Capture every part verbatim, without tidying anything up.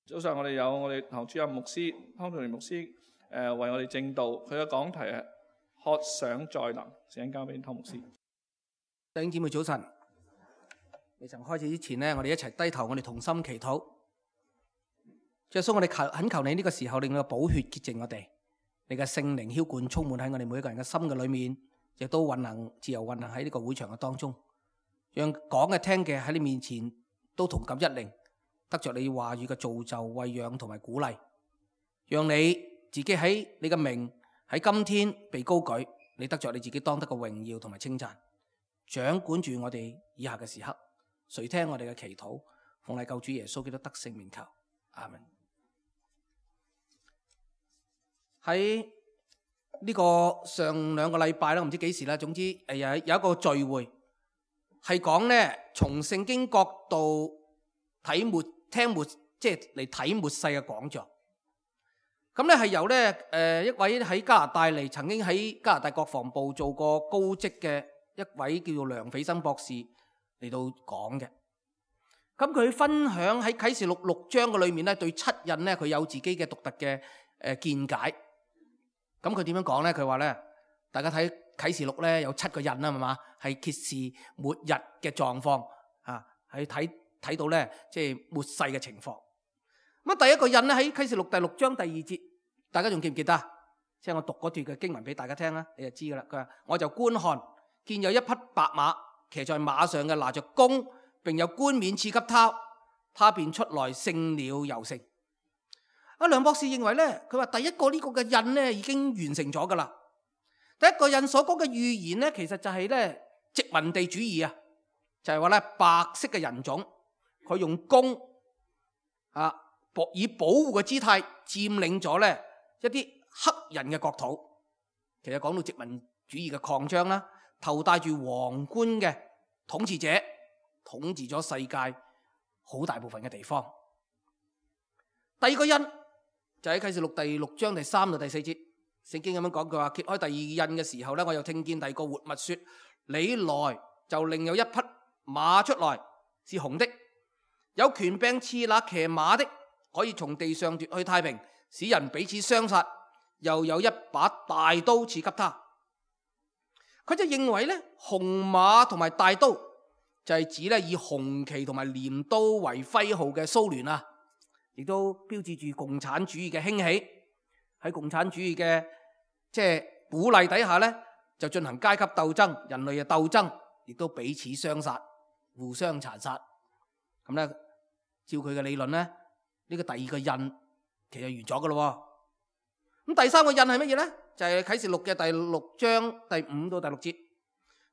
早上我哋有我哋堂主任牧師湯仲年牧師誒、呃、為我哋證道，佢嘅講題係渴想再臨，請交俾湯牧師。弟兄姊妹早晨，未曾開始之前呢，我哋一齊低頭，我哋同心祈禱。耶穌，我哋求懇求你呢個時候，令你嘅寶血潔淨我哋，你嘅聖靈澆灌充滿喺我哋每一個人嘅心嘅裏面，亦都運行自由運行喺呢個會場嘅當中，讓講嘅聽嘅喺你面前都同感一靈，得着你話語嘅造就、餵養同埋鼓勵，讓你自己喺你嘅名喺今天被高舉，你得着你自己當得嘅榮耀同埋稱讚，掌管住我哋以下嘅時刻，垂聽我哋嘅祈禱，奉禮救主耶穌基督得勝名求，阿門。喺呢個上兩個禮拜啦，唔知幾時啦，總之誒有有一個聚會係講咧，從聖經角度睇末聽末，即係嚟睇末世嘅講座。咁咧係由咧誒一位喺加拿大嚟，曾經喺加拿大國防部做過高職嘅一位叫做梁斐生博士嚟到講嘅。咁佢分享喺啟示錄六章嘅裏面咧，對七印咧佢有自己嘅獨特嘅誒見解。咁佢點樣講咧？佢話咧，大家睇啟示錄咧有七個印啦，係嘛？係揭示末日嘅狀況啊，係睇睇到咧即係末世嘅情況。咁啊，第一個印咧喺啟示錄第六章第二節，大家仲記唔記得？即係我讀嗰段嘅經文俾大家聽啦，你就知噶啦。佢話：我就觀看，見有一匹白馬，騎在馬上嘅拿着弓，並有冠冕賜給他，他便出來勝了又勝。阿梁博士認為咧，佢話第一個呢個嘅印咧已經完成咗噶啦。第一個印所講嘅預言咧，其實就係咧殖民地主義啊，就係話咧白色嘅人種，佢用弓啊，以保護嘅姿態佔領咗咧一啲黑人嘅國土。其實講到殖民主義嘅擴張啦，頭戴住皇冠嘅統治者統治咗世界好大部分嘅地方。第二個印就喺啟示錄第六章第三到第四節，聖經咁樣講，佢話揭開第二印嘅時候咧，我又聽見第二個活物說：你來，就另有一匹馬出來，是紅的，有權柄賜那騎馬的，可以從地上奪去太平，使人彼此相殺，又有一把大刀賜給他。佢就認為咧，紅馬同埋大刀就係指咧以紅旗同埋鐮刀為徽號嘅蘇聯啊。亦都標誌住共產主義嘅興起。喺共產主義嘅即係鼓勵底下咧，就進行階級鬥爭，人類嘅鬥爭，亦都彼此相殺，互相殘殺。咁咧，照佢嘅理論咧，呢、這個第二個印其實完咗噶咯。咁第三個印係乜嘢咧？就係、是、啟示錄嘅第六章第五到第六節。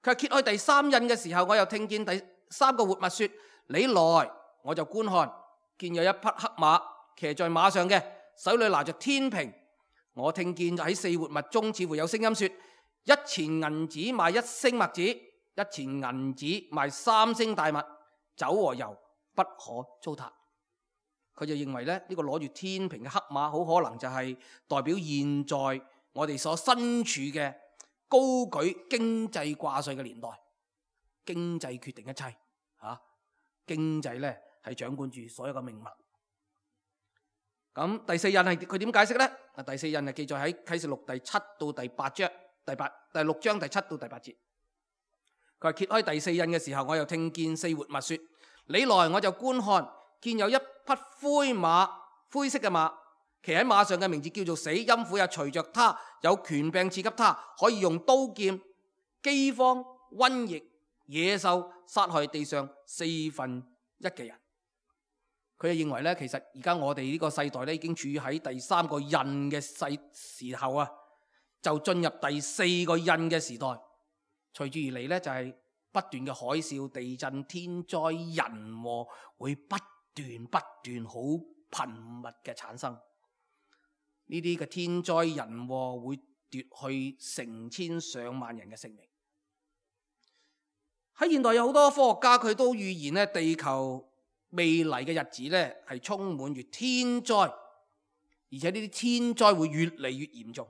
佢揭開第三印嘅時候，我又聽見第三個活物說：你來，我就觀看。見有一匹黑馬，騎在馬上嘅，手裏拿着天平。我聽見喺四活物中似乎有聲音說：一錢銀子賣一升麥子，一錢銀子賣三升大麥，酒和油不可糟蹋。佢就認為咧，呢個攞住天平嘅黑馬好可能就係代表現在我哋所身處嘅高舉經濟掛帥嘅年代，經濟決定一切啊！經濟咧係掌管住所有嘅命脈。咁第四印係佢點解釋呢？啊，第四印係記載喺啟示錄第七到第八章，第八第六章第七到第八節。佢話揭開第四印嘅時候，我又聽見四活物說：你來，我就觀看，見有一匹灰馬，灰色嘅馬，騎喺馬上嘅名字叫做死，陰府也隨着他，有權柄賜給他，可以用刀劍、饑荒、瘟疫、野獸殺害地上四分一嘅人。佢就認為咧，其實而家我哋呢個世代咧已經處於喺第三個印嘅世時候啊，就進入第四個印嘅時代。隨住而嚟咧，就係不斷嘅海嘯、地震、天災人禍會不斷不斷好頻密嘅產生。呢啲嘅天災人禍會奪去成千上萬人嘅性命。喺現代有好多科學家佢都預言咧，地球未來嘅日子咧係充滿住天災，而且呢啲天災會越嚟越嚴重。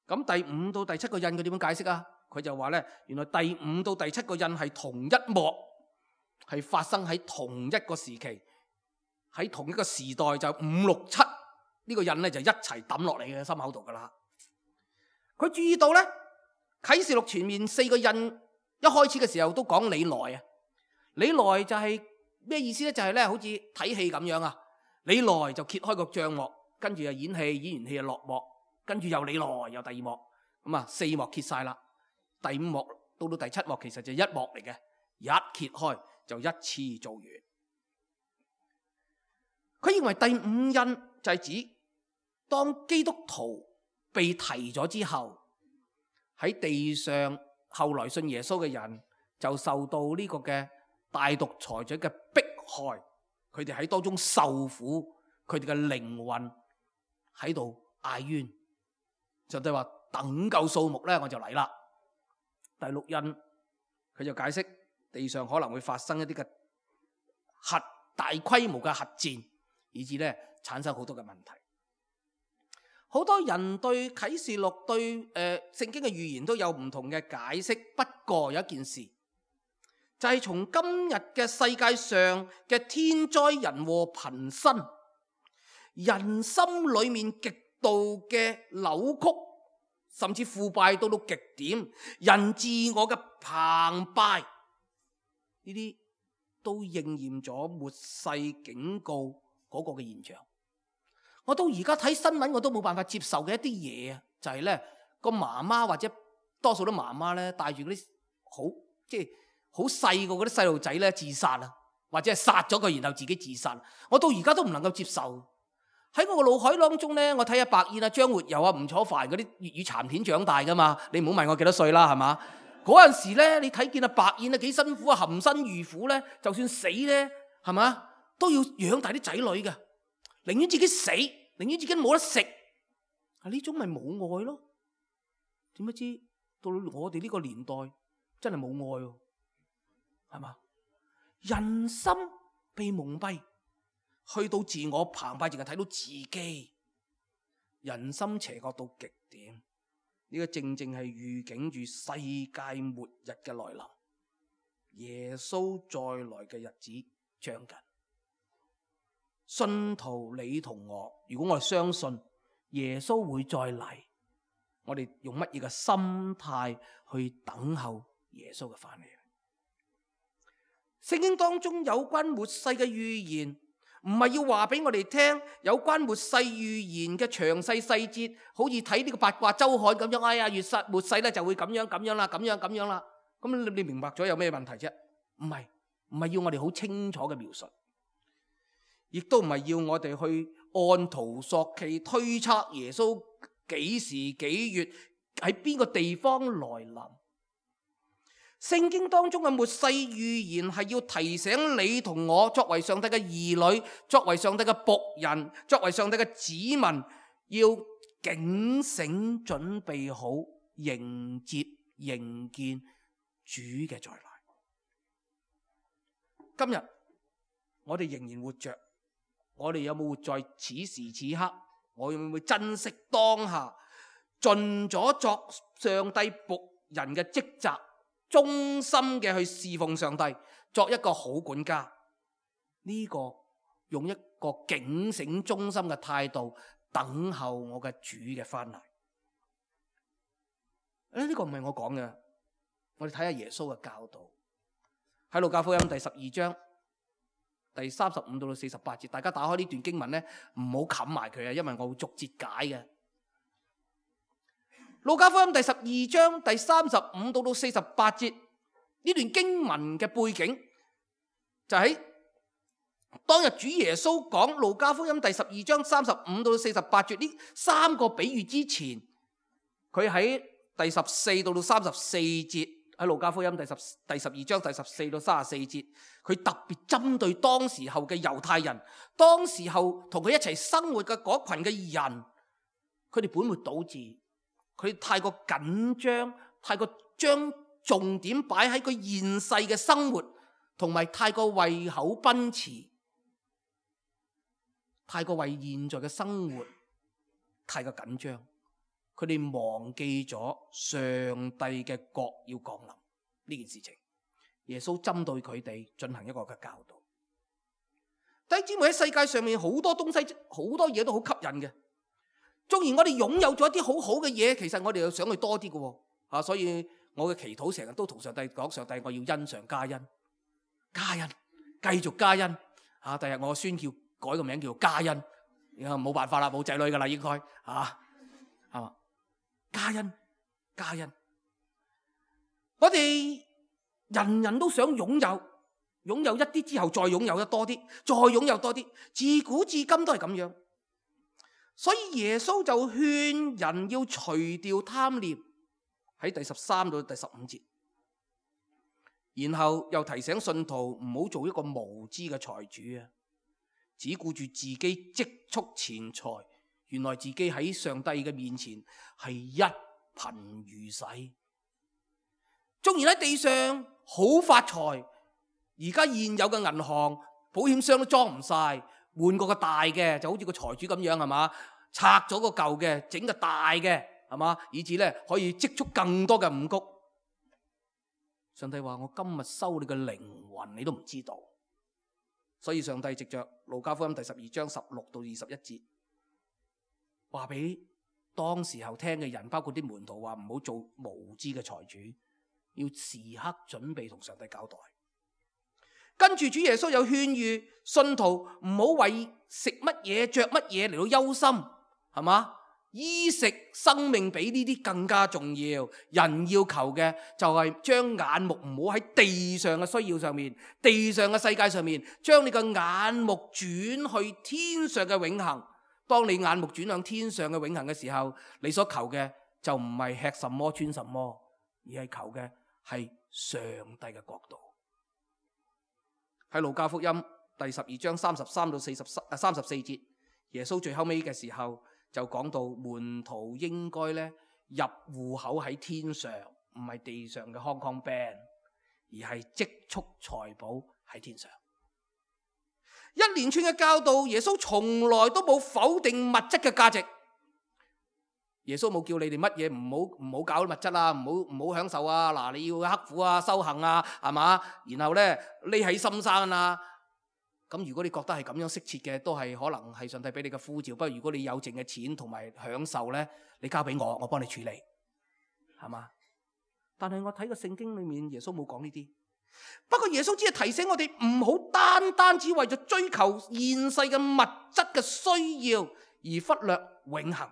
咁第五到第七個印佢點樣解釋啊？佢就話咧，原來第五到第七個印係同一幕，係發生喺同一個時期，喺同一個時代就五六七呢個印咧就一齊抌落嚟嘅心口度噶啦。佢注意到咧啟示錄前面四個印一開始嘅時候都講你來啊，你來就係咩意思咧？就係咧好似睇戲咁樣啊，你來就揭開個帳幕，跟住又演戲，演完戲就落幕，跟住又你來又第二幕，咁啊四幕揭晒啦，第五幕到到第七幕其實就一幕嚟嘅，一揭開就一次做完。佢認為第五印就係指當基督徒被提咗之後，喺地上後來信耶穌嘅人就受到呢個嘅大獨裁者嘅迫害，佢哋喺當中受苦，佢哋嘅靈魂喺度嗌冤，就係話等夠數目咧我就嚟啦。第六印佢就解釋地上可能會發生一啲嘅核大規模嘅核戰，以致咧產生好多嘅問題。好多人對啟示錄對誒、呃、聖經嘅預言都有唔同嘅解釋，不過有一件事就係、是、從今日嘅世界上嘅天災人禍頻生，人心裏面極度嘅扭曲，甚至腐敗到到極點，人自我嘅澎湃，呢啲都應驗咗末世警告嗰個嘅現象。我到而家睇新聞我都冇辦法接受嘅一啲嘢啊，就係咧個媽媽或者多數都媽媽咧帶住嗰啲好即係好細個嗰啲細路仔咧自殺啊，或者係殺咗佢然後自己自殺，我到而家都唔能夠接受。喺我個腦海當中咧，我睇下白燕啊、張活游啊、吳楚帆嗰啲粵語殘片長大噶嘛，你唔好問我幾多歲啦，係嘛？嗰陣時咧，你睇見啊白燕啊幾辛苦啊，含辛茹苦咧，就算死咧，係嘛都要養大啲仔女嘅。寧願自己死，寧願自己冇得食，係呢種咪冇愛咯？點不知到我哋呢個年代真係冇愛喎，係嘛？人心被蒙蔽，去到自我澎湃，淨係睇到自己，人心邪惡到極點。呢個正正係預警住世界末日嘅來臨，耶穌再來嘅日子將近。信徒你同我，如果我哋相信耶穌會再嚟，我哋用乜嘢嘅心態去等候耶穌嘅翻嚟？聖經當中有關末世嘅預言，唔係要話俾我哋聽有關末世預言嘅詳細細節，好似睇呢個八卦周刊咁樣。哎呀，月末世咧就會咁樣咁樣啦，咁樣咁樣啦。咁你你明白咗有咩問題啫？唔係，唔係要我哋好清楚嘅描述。亦都唔係要我哋去按圖索驥推測耶穌幾時幾月喺邊個地方來臨。聖經當中嘅末世預言係要提醒你同我作為上帝嘅兒女，作為上帝嘅僕人，作為上帝嘅子民，要警醒準備好迎接迎見主嘅再來。今日我哋仍然活着，我哋有冇活在此時此刻？我會唔會珍惜當下，盡咗作上帝僕人嘅職責，忠心嘅去侍奉上帝，作一個好管家？呢個用一個警醒忠心嘅態度等候我嘅主嘅翻嚟。誒，呢個唔係我講嘅，我哋睇下耶穌嘅教導喺路加福音第十二章第三十五到到四十八節，大家打開呢段經文咧，唔好冚埋佢啊，因為我會逐節解嘅。路加福音第十二章第三十五到到四十八節，呢段經文嘅背景就喺當日主耶穌講路加福音第十二章三十五到四十八節呢三個比喻之前，佢喺第十四到到三十四節。喺路加福音第十第十二章第十四到三十四節，佢特別針對當時候嘅猶太人，當時候同佢一齊生活嘅嗰群嘅人，佢哋本末倒置，佢太過緊張，太過將重點擺喺佢現世嘅生活，同埋太過為口奔馳，太過為現在嘅生活太過緊張。佢哋忘記咗上帝嘅國要降臨呢件事情，耶穌針對佢哋進行一個嘅教導。弟兄姊妹，喺世界上面好多東西，好多嘢都好吸引嘅。縱然我哋擁有咗一啲好好嘅嘢，其實我哋又想去多啲嘅。啊，所以我嘅祈禱成日都同上帝講：上帝，我要恩上加恩，加恩，繼續加恩。啊，第日我宣叫改個名叫做加恩。冇辦法啦，冇仔女噶啦，應該啊，係嘛？加恩，加恩。我哋人人都想擁有，擁有一啲之後再擁有得多啲，再擁有多啲，自古至今都係咁樣。所以耶穌就勸人要除掉貪念，喺第十三到第十五節，然後又提醒信徒唔好做一個無知嘅財主啊，只顧住自己積蓄錢財，原來自己喺上帝嘅面前係一貧如洗。縱然喺地上好發財，而家現有嘅銀行保險箱都裝唔晒，換過個大嘅，就好似個財主咁樣，係嘛？拆咗個舊嘅，整個大嘅，係嘛？以至咧可以積蓄更多嘅五穀。上帝話：我今日收你嘅靈魂，你都唔知道。所以上帝藉着路加福音第十二章十六到二十一節，話俾當時候聽嘅人，包括啲門徒，話唔好做無知嘅財主，要時刻準備同上帝交代。跟住主耶穌有勸喻信徒唔好為食乜嘢着乜嘢嚟到憂心，係嘛？衣食生命比呢啲更加重要。人要求嘅就係將眼目唔好喺地上嘅需要上面，地上嘅世界上面，將你嘅眼目轉去天上嘅永恆。當你眼目轉向天上嘅永恆嘅時候，你所求嘅就唔係吃什麼穿什麼，而係求嘅係上帝嘅國度。喺路加福音第十二章三十三到四十三十四節，耶穌最後尾嘅時候就講到門徒應該咧入戶口喺天上，唔係地上嘅 Hong Kong Bank， 而係積蓄財寶喺天上。一連串嘅教導，耶穌從來都冇否定物質嘅價值。耶穌冇叫你哋乜嘢唔好唔好搞物質啊，唔好唔好享受啊。嗱，你要刻苦啊，修行啊，係嘛？然後咧匿喺深山啊。咁如果你覺得係咁樣適切嘅，都係可能係上帝俾你嘅呼召。不過如果你有剩嘅錢同埋享受咧，你交俾我，我幫你處理，係嘛？但係我睇個聖經裏面，耶穌冇講呢啲。不過耶穌只係提醒我哋唔好單單只為咗追求現世嘅物質嘅需要而忽略永恆。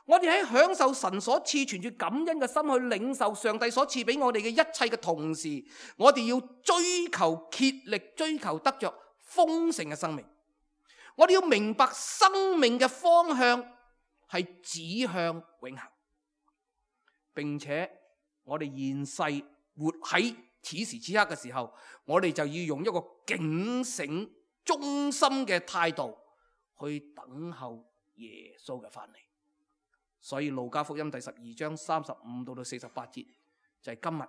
我哋喺享受神所賜存住感恩嘅心去領受上帝所賜俾我哋嘅一切嘅同時，我哋要追求竭力追求得着豐盛嘅生命。我哋要明白生命嘅方向係指向永恆，並且我哋現世活喺此時此刻嘅時候，我哋就要用一個警醒忠心嘅態度去等候耶穌嘅翻嚟。所以路加福音第十二章三十五到到四十八節就係今日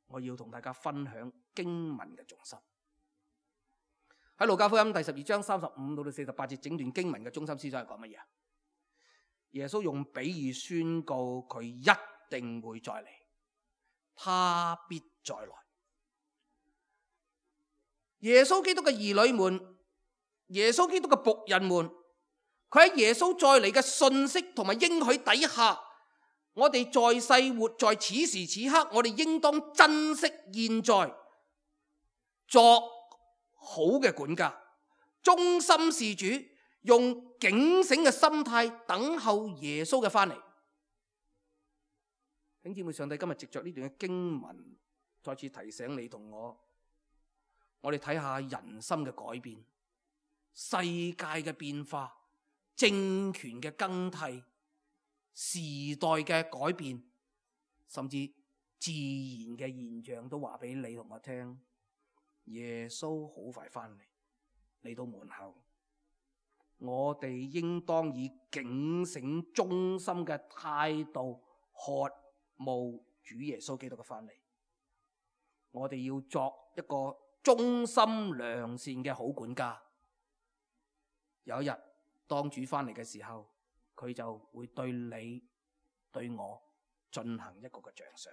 我要同大家分享經文嘅重心。喺路加福音第十二章三十五到到四十八節整段經文嘅中心思想係講乜嘢？耶穌用比喻宣告佢一定會再嚟，他必再來。耶穌基督嘅兒女們，耶穌基督嘅僕人們，佢喺耶穌再嚟嘅信息同埋應許底下，我哋在世活在此時此刻，我哋應當珍惜現在，作好嘅管家，忠心事主，用警醒嘅心態等候耶穌嘅翻嚟。弟兄姊妹，上帝今日藉着呢段嘅經文，再次提醒你同我，我哋睇下人心嘅改變，世界嘅變化，政權嘅更替，時代嘅改變，甚至自然嘅現象都話俾你同我聽，耶穌好快翻嚟，嚟到門口，我哋應當以警醒忠心嘅態度渴慕主耶穌基督嘅翻嚟。我哋要作一個忠心良善嘅好管家。有一日當主翻嚟嘅時候，佢就會對你對我進行一個嘅獎賞。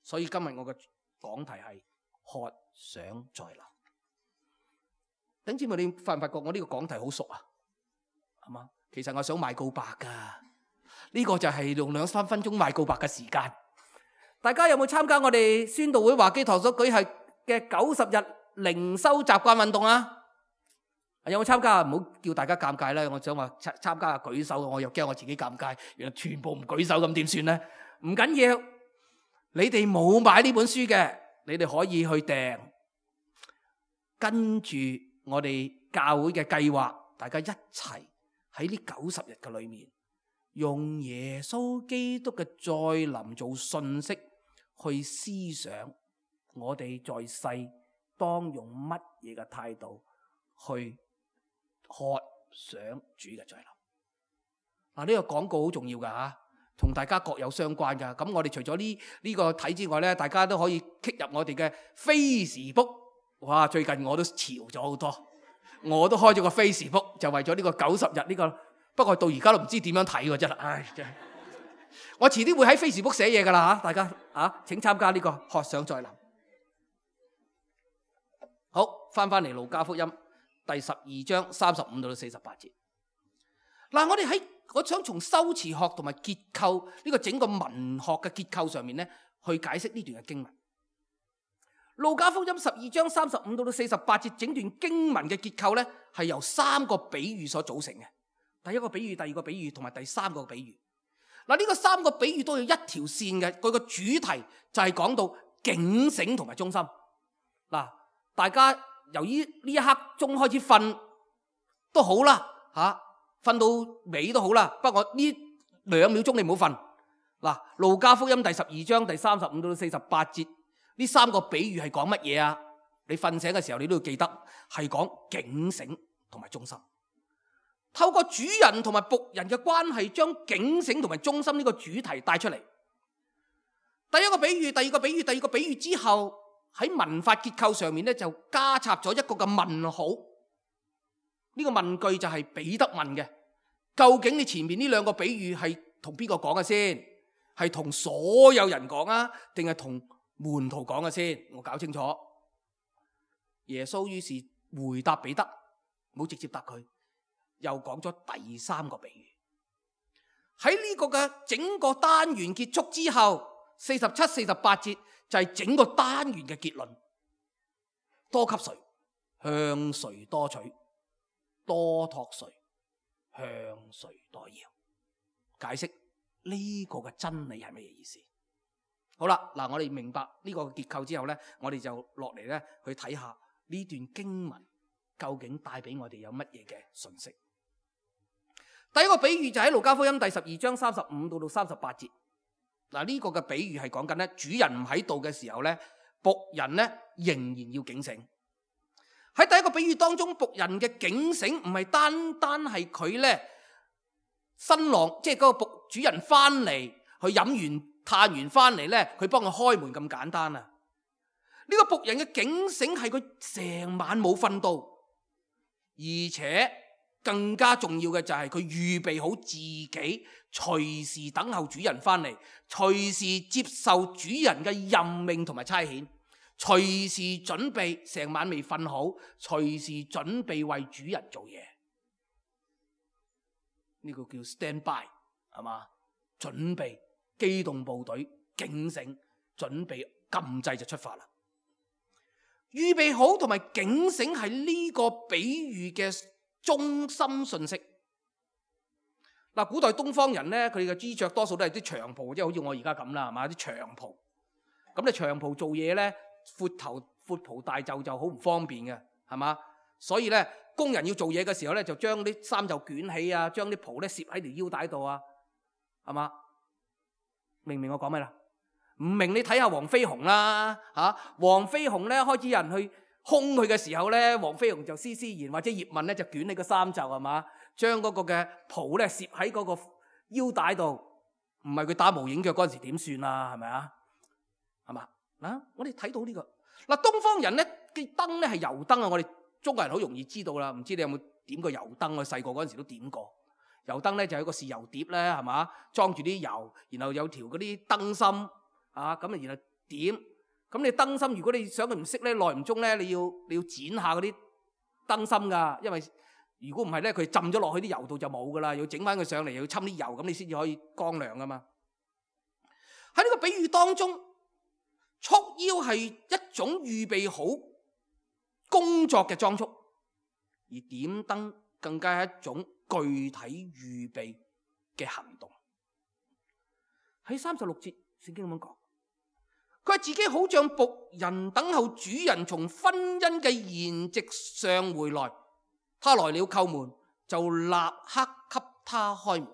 所以今日我嘅講題係渴想再臨。等知咪你發唔發覺我呢個講題好熟啊？係嘛？其實我想賣告白噶，呢個就係用兩三分鐘賣告白嘅時間。大家有冇參加我哋宣道會華基堂所舉行嘅九十日靈修習慣運動啊？有冇參加？唔好叫大家尷尬啦！我想話參參加舉手，我又驚我自己尷尬。原來全部唔舉手咁點算呢？唔緊要，你哋冇買呢本書嘅，你哋可以去訂。跟住我哋教會嘅計劃，大家一齊喺呢九十日嘅裏面，用耶穌基督嘅再臨做信息去思想，我哋在世當用乜嘢嘅態度去渴想主嘅再臨。嗱，呢個廣告好重要噶吓，同大家各有相關噶。咁我哋除咗呢呢個睇之外咧，大家都可以 click 入我哋嘅 Facebook。哇！最近我都潮咗好多，我都開咗個 Facebook， 就為咗呢個九十日呢個。不過到而家都唔知點樣睇嘅真係，唉真係。我遲啲會喺 Facebook 寫嘢噶啦吓，大家啊，請參加呢個渴想再臨。好，翻翻嚟路加福音第十二章三十五到四十八節。嗱，我哋喺我想從修辭學同埋結構呢個整個文學嘅結構上面咧，去解釋呢段嘅經文。路加福音十二章三十五到四十八節整段經文嘅結構咧，係由三個比喻所組成嘅。第一個比喻、第二個比喻同埋第三個比喻。嗱，呢個三個比喻都有一條線嘅，佢個主題就係講到警醒同埋忠心。嗱，大家由於呢一刻鐘開始瞓都好啦，吓瞓到尾都好啦。不過呢兩秒鐘你唔好瞓。嗱，路加福音第十二章第三十五到四十八節。呢三個比喻係講乜嘢啊？你瞓醒嘅時候，你都要記得係講警醒同埋忠心。透過主人同埋僕人嘅關係，將警醒同埋忠心呢個主題帶出嚟。第一個比喻，第二個比喻，第二個比喻之後，喺文法結構上面咧就加插咗一個嘅問號。呢個問句就係彼得問嘅：究竟你前面呢兩個比喻係同邊個講嘅先？係同所有人講啊，定係同門徒講嘅先？我搞清楚。耶穌於是回答彼得，冇直接答佢，又講咗第三個比喻。喺呢個嘅整個單元結束之後，四十七、四十八節就係整個單元嘅結論。多給誰，向誰多取；多託誰，向誰多要。解釋呢個嘅真理係乜嘢意思？好啦，嗱，我哋明白呢個結構之後呢，我哋就落嚟呢去睇下呢段經文究竟帶俾我哋有乜嘢嘅信息。第一個比喻就喺路加福音第十二章三十五到到三十八節。嗱，呢個嘅比喻係講緊呢，主人唔喺度嘅時候呢，僕人呢仍然要警醒。喺第一個比喻當中，僕人嘅警醒唔係單單係佢呢新郎，即係嗰個僕主人翻嚟去飲完嘆完翻嚟呢，佢幫佢開門咁簡單啊！呢個僕人嘅警醒係佢成晚冇瞓到，而且更加重要嘅就係佢預備好自己，隨時等候主人翻嚟，隨時接受主人嘅任命同埋差遣，隨時準備，成晚未瞓好，隨時準備為主人做嘢。呢個叫 stand by， 係嘛？準備。機動部隊警醒，準備禁制就出發啦。預備好同埋警醒係呢個比喻嘅中心信息。嗱，古代東方人咧，佢哋嘅衣着多數都係啲長袍，即係好似我而家咁啦，係嘛？啲長袍。咁你長袍做嘢咧，闊頭闊袍大袖就好唔方便嘅，係嘛？所以咧，工人要做嘢嘅時候咧，就將啲衫就捲起啊，將啲袍咧攝喺條腰帶度啊，係嘛？明唔明我講咩啦？唔明你睇下黃飛鴻啦，吓黃飛鴻咧開始有人去兇佢嘅時候咧，黃飛鴻就施施然或者葉問咧就捲起個衫袖，係嘛，將嗰個嘅袍咧攝喺嗰個腰帶度，唔係佢打無影腳嗰陣時點算啊？係咪啊？係嘛？嗱，我哋睇到呢個嗱，東方人咧嘅燈咧係油燈啊，我哋中國人好容易知道啦。唔知你有冇點過油燈？我細個嗰陣時都點過。油燈咧就有個豉油碟咧，係嘛，裝住啲油，然後有條嗰啲燈芯啊，咁啊然後點，咁你燈芯如果你想佢唔熄咧，耐唔中咧，你要你要剪下嗰啲燈芯噶，因為如果唔係咧，佢浸咗落去啲油度就冇噶啦，要整翻佢上嚟，要侵啲油，咁你先至可以光亮噶嘛。喺呢個比喻當中，束腰係一種預備好工作嘅裝束，而點燈更加係一種具體預備嘅行動。喺三十六節聖經咁樣講，佢話自己好像僕人等候主人從婚姻嘅筵席上回來，他來了叩門，就立刻給他開門。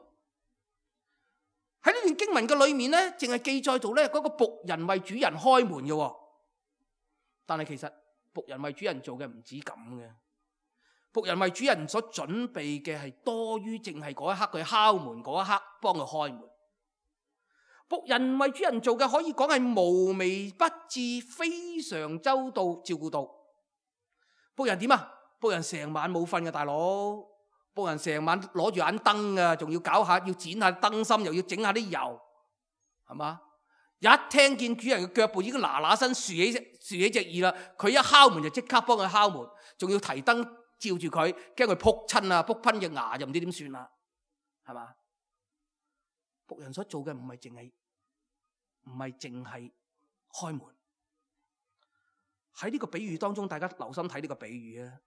喺呢段經文嘅裏面呢，淨係記載到呢嗰個僕人為主人開門嘅，但係其實僕人為主人做嘅唔止咁嘅，僕人為主人所準備嘅係多於淨係嗰一刻佢敲門嗰一刻幫佢開門。僕人為主人做嘅可以講係無微不至，非常周到照顧到。僕人點啊？僕人成晚冇瞓嘅大佬，僕人成晚攞住盞燈啊，仲要搞下，要剪下燈芯，又要整下啲油，係嘛？一聽見主人嘅腳步已經嗱嗱聲豎起豎起隻耳啦，佢一敲門就即刻幫佢敲門，仲要提燈照住佢，驚佢撲親啊，撲噴隻牙就唔知點算啦，係嘛？僕人所做嘅唔係淨係唔係淨係開門。喺呢個比喻當中，大家留心睇呢個比喻啊。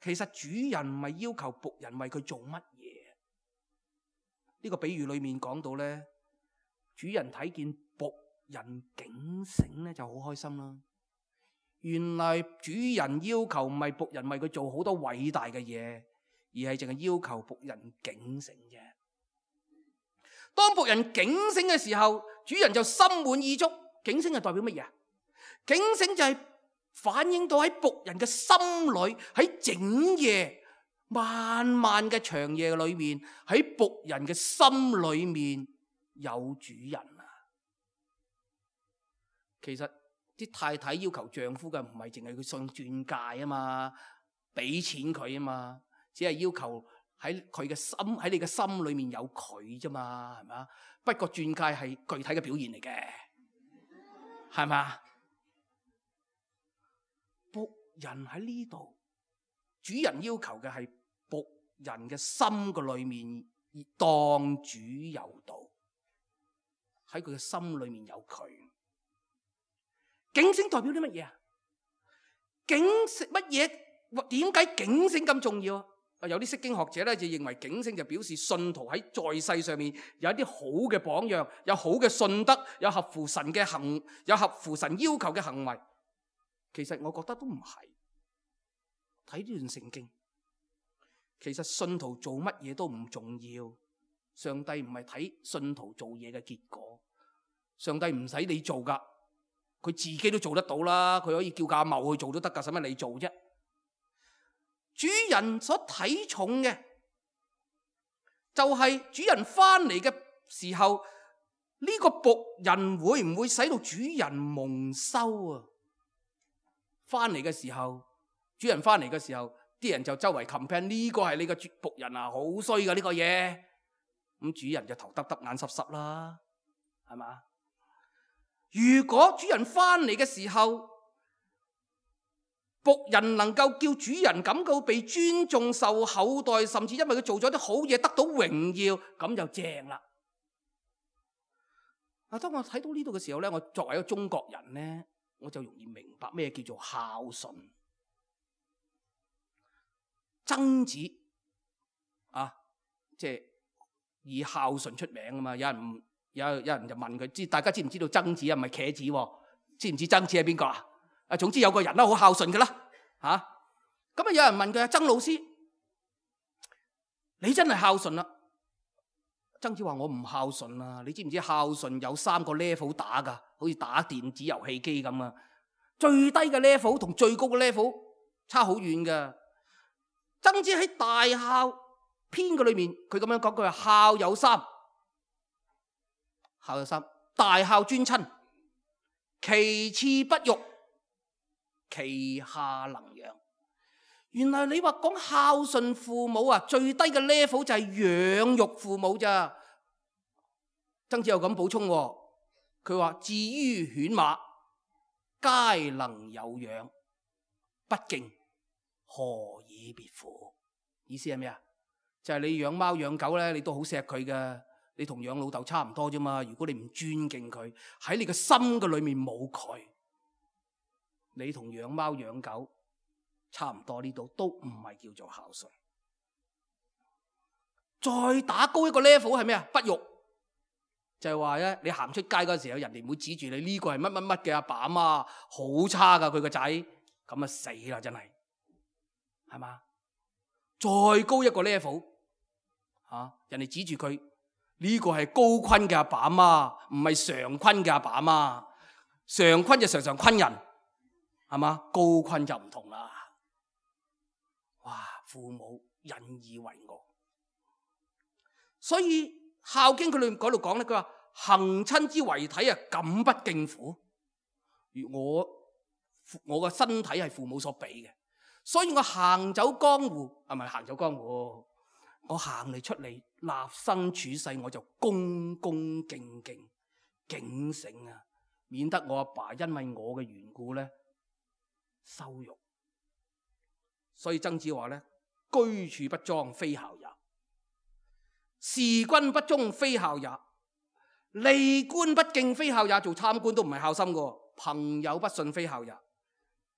其實主人唔係要求僕人為佢做乜嘢。呢個比喻裏面講到咧，主人睇見僕人警醒咧就好開心啦。原來主人要求唔係僕人為佢做好多偉大嘅嘢，而係淨係要求僕人警醒啫。當僕人警醒嘅時候，主人就心滿意足。警醒係代表乜嘢？警醒就係反映到喺僕人嘅心裏，喺整夜漫漫嘅長夜裏面，喺僕人嘅心裏面有主人啊。其實啲太太要求丈夫嘅唔係淨係佢送鑽戒啊嘛，俾錢佢啊嘛，只係要求喺佢嘅心，喺你嘅心裏面有佢啫嘛，係咪？不過鑽戒係具體嘅表現嚟嘅，係咪？僕人喺呢度，主人要求嘅係僕人嘅心嘅裏面當主有道，喺佢嘅心裏面有佢。警醒代表啲乜嘢啊？警醒乜嘢？點解警醒咁重要啊？有啲釋經學者咧就認為警醒就表示信徒喺在世上面有一啲好嘅榜樣，有好嘅信德，有合乎神嘅行，有合乎神要求嘅行為。其實我覺得都唔係。睇呢段聖經，其實信徒做乜嘢都唔重要。上帝唔係睇信徒做嘢嘅結果，上帝唔使你做噶，佢自己都做得到啦。佢可以叫阿茂去做都得噶，使乜你做啫？主人所睇重嘅就係主人翻嚟嘅時候，呢個僕人會唔會使到主人蒙羞啊？翻嚟嘅時候，主人翻嚟嘅時候，啲人就周圍 complain 呢個係你個僕人啊，好衰噶呢個嘢。咁主人就頭耷耷眼濕濕啦，係嘛？如果主人翻嚟嘅時候，僕人能夠叫主人感覺被尊重、受厚待，甚至因為佢做咗啲好嘢得到榮耀，咁就正啦。啊，當我睇到呢度嘅時候咧，我作為一個中國人咧，我就容易明白咩叫做孝順。曾子啊，即係以孝順出名啊嘛。有人唔有有人就問佢，知大家知唔知道曾子啊？唔係茄子喎，知唔知曾子係邊個啊？啊，總之有個人啦，好孝順嘅啦，吓咁啊！有人問佢啊，曾老師，你真係孝順啦？曾子話：我唔孝順啊！你知唔知孝順有三個 level 打噶？好似打電子遊戲機咁啊！最低嘅 level 同最高嘅 level 差好遠噶。曾子喺《大孝篇》嘅裏面，佢咁樣講，佢話孝有三，孝有三，大孝尊親，其次不育，其下能養。原來你話講孝順父母啊，最低嘅 level 就係養育父母咋。曾子又咁補充，佢話至於犬馬，皆能有養，不敬，何以別乎？意思係咩啊？就係、是、你養貓養狗咧，你都好錫佢㗎，你同養老豆差唔多啫嘛。如果你唔尊敬佢，喺你嘅心嘅裏面冇佢，你同養貓養狗差唔多，呢度都唔係叫做孝順。再打高一個 level 係咩啊？不育，就係話咧，你行出街嗰時候，人哋唔會指住你呢、這個係乜乜乜嘅阿爸阿媽，好差噶佢個仔，咁啊死啦真係，係嘛？再高一個 level，吓、啊、人哋指住佢呢、這個係高坤嘅阿爸阿媽，唔係常坤嘅阿爸阿媽，常坤就常常坤人，係嘛？高坤就唔同啦。哇！父母引以為傲。所以《孝經》佢裏面嗰度講咧，佢話行親之遺體啊，敢不敬父？如我我個身體係父母所俾嘅，所以我行走江湖，係咪行走江湖？我行嚟出嚟立身處世，我就恭恭敬敬警醒啊，免得我阿爸因為我嘅緣故咧羞辱。所以曾子話咧，居處不莊，非孝也。事君不忠，非孝也；利官不敬，非孝也。做參官都唔係孝心嘅。朋友不信，非孝也；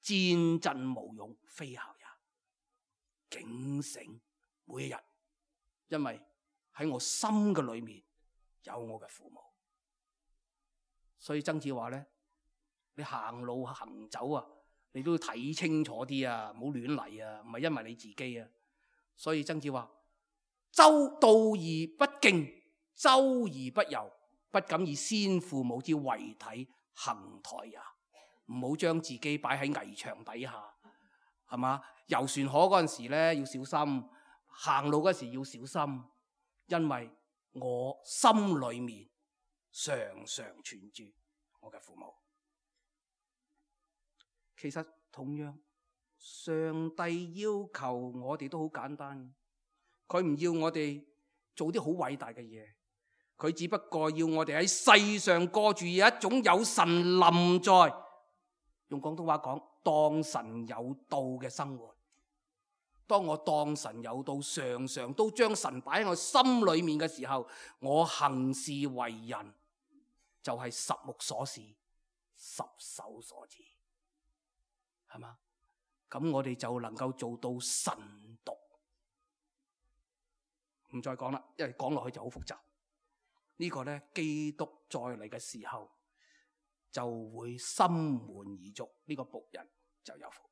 戰陣無勇，非孝也。警醒每一日，因為喺我心嘅裏面有我嘅父母。所以曾子話咧，你行路行走啊，你都要睇清楚啲啊，唔好亂嚟啊，唔係因為你自己啊。所以曾子話，周道而不敬，周而不游，不敢以先父母之遺體行台也。唔好將自己擺喺危牆底下，係嘛？遊船河嗰陣時咧要小心，行路嗰時要小心，因為我心裏面常常存住我嘅父母。其實同樣，上帝要求我哋都好簡單。佢唔要我哋做啲好偉大嘅嘢，佢只不過要我哋喺世上過住一種有神臨在，用廣東話講，當神有道嘅生活。當我當神有道，常常都將神擺喺我心裏面嘅時候，我行事為人就係十目所視，十手所指，係嘛？咁我哋就能夠做到神獨。唔再講啦，因為講落去就好複雜。呢個呢，基督再嚟嘅時候就會心滿意足，呢個僕人就有福。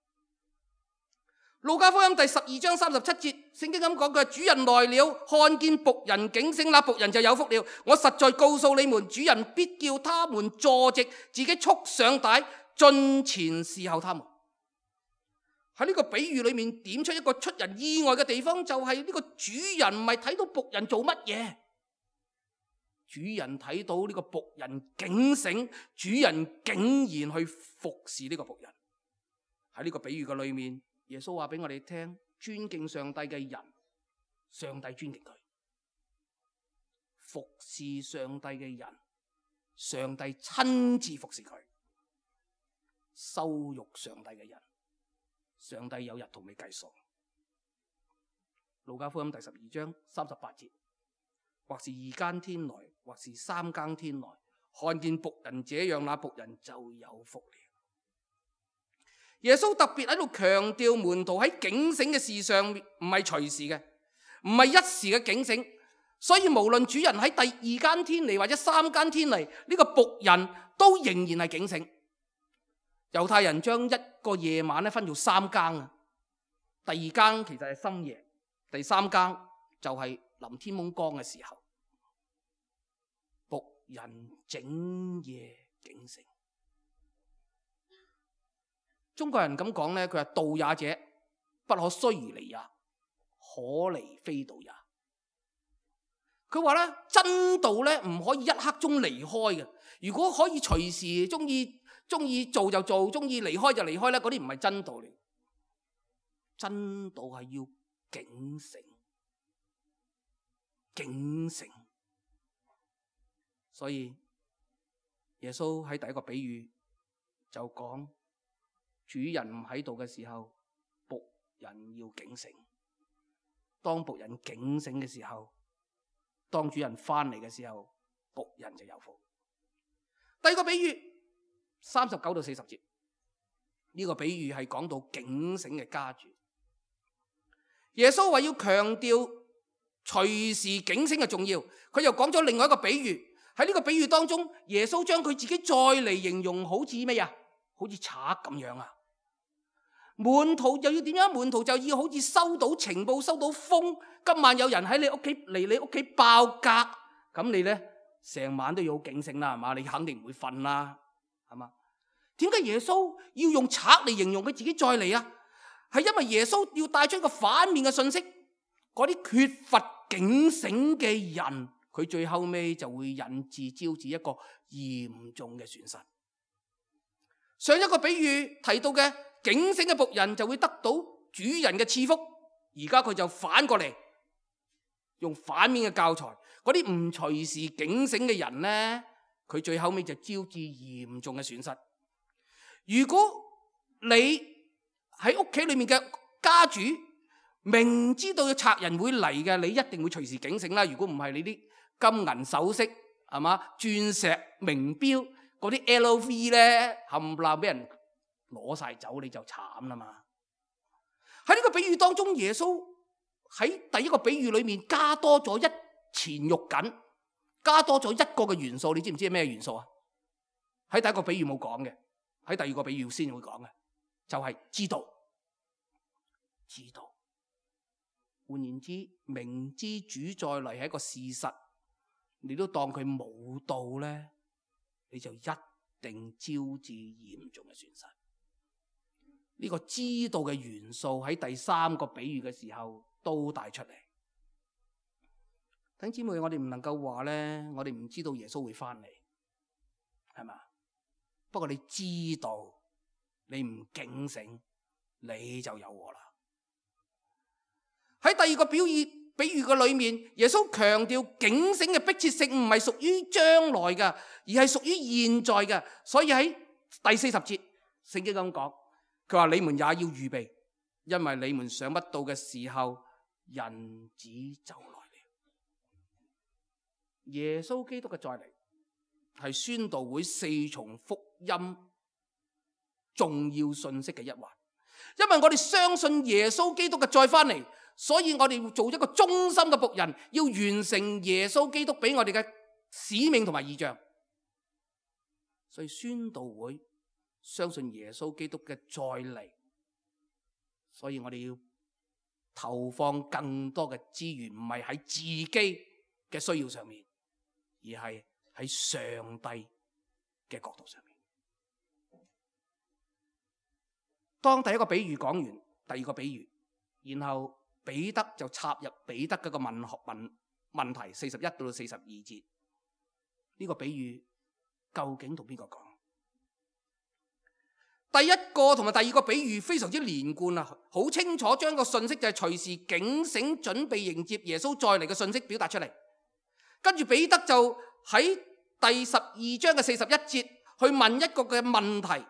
路加福音第十二章三十七節，聖經咁講嘅，主人來了，看見僕人警醒，那僕人就有福了。我實在告訴你們，主人必叫他們坐席，自己束上帶，進前侍候他們。喺呢個比喻裏面點出一個出人意外嘅地方，就係呢個主人唔係睇到僕人做乜嘢，主人睇到呢個僕人警醒，主人竟然去服侍呢個僕人。喺呢個比喻嘅裏面，耶穌話俾我哋聽，尊敬上帝嘅人，上帝尊敬佢；服侍上帝嘅人，上帝親自服侍佢；羞辱上帝嘅人，上帝有日同你計數。路加福音第十二章三十八節，或是二更天來，或是三更天來，看見僕人這樣，那僕人就有福了。耶穌特別喺度強調門徒喺警醒嘅事上唔係隨時嘅，唔係一時嘅警醒。所以無論主人喺第二更天嚟或者三更天嚟，呢個僕人都仍然係警醒。猶太人將一個夜晚咧分做三更啊，第二更其實係深夜，第三更就係臨天蒙光嘅時候。僕人整夜警醒。中國人咁講咧，佢話道也者，不可須而離也，可離非道也。佢話咧，真道咧唔可以一刻鐘離開嘅。如果可以隨時中意中意做就做，中意離開就離開咧，嗰啲唔係真道嚟。真道係要警醒，警醒。所以耶穌喺第一個比喻就講，主人唔喺度嘅時候，僕人要警醒。當僕人警醒嘅時候，當主人翻嚟嘅時候，僕人就有福。第二個比喻，三十九到四十節，呢個比喻係講到警醒嘅家主。耶穌話要強調隨時警醒嘅重要，佢又講咗另外一個比喻。喺呢個比喻當中，耶穌將佢自己再嚟形容好似咩啊？好似賊咁樣啊！門徒又要點樣？門徒就要好似收到情報、收到風，今晚有人喺你屋企嚟你屋企爆格，咁你呢成晚都要好警醒啦，係嘛？你肯定唔會瞓啦，係嘛？點解耶穌要用賊嚟形容佢自己再嚟啊？係因為耶穌要帶出一個反面嘅信息，嗰啲缺乏警醒嘅人，佢最後尾就會引致招致一個嚴重嘅損失。上一個比喻提到嘅警醒嘅僕人就會得到主人嘅賜福，而家佢就反過嚟用反面嘅教材，嗰啲唔隨時警醒嘅人呢，佢最後尾就招致嚴重嘅損失。如果你喺屋企裏面嘅家主明知道有賊人會嚟嘅，你一定會隨時警醒啦。如果唔係，你啲金銀首飾係嘛、鑽石名錶嗰啲 L V 咧，冚唪唥俾人攞晒走，你就慘啦嘛。喺呢個比喻當中，耶穌喺第一個比喻裏面加多咗一錢肉緊，加多咗一個嘅元素，你知唔知係咩元素啊？喺第一個比喻冇講嘅，喺第二個比喻先會講嘅，就係知道。知道，換言之，明知主再嚟係一個事實，你都當佢冇到咧，你就一定招致嚴重嘅損失。呢個知道嘅元素喺第三個比喻嘅時候都帶出嚟。弟兄姊妹，我哋唔能夠話咧，我哋唔知道耶穌會翻嚟，係嘛？不過你知道，你唔警醒，你就有禍啦。喺第二個表喻比喻嘅裏面，耶穌強調警醒嘅迫切性唔係屬於將來嘅，而係屬於現在嘅。所以喺第四十節，聖經咁講，佢話你們也要預備，因為你們想不到嘅時候，人子就來了。耶穌基督嘅再嚟係宣道會四重福音重要信息嘅一環，因為我哋相信耶穌基督嘅再翻嚟。所以我哋要做一個忠心嘅僕人，要完成耶穌基督俾我哋嘅使命同埋異象。所以宣道會相信耶穌基督嘅再嚟，所以我哋要投放更多嘅資源，唔係喺自己嘅需要上面，而係喺上帝嘅角度上面。當第一個比喻講完，第二個比喻，然後彼得就插入彼得嗰個問學問問題，四十一到四十二節，呢個比喻究竟同邊個講？第一個同埋第二個比喻非常之連貫啊，好清楚將個信息就係隨時警醒準備迎接耶穌再嚟嘅信息表達出嚟。跟住彼得就喺第十二章嘅四十一節去問一個嘅問題，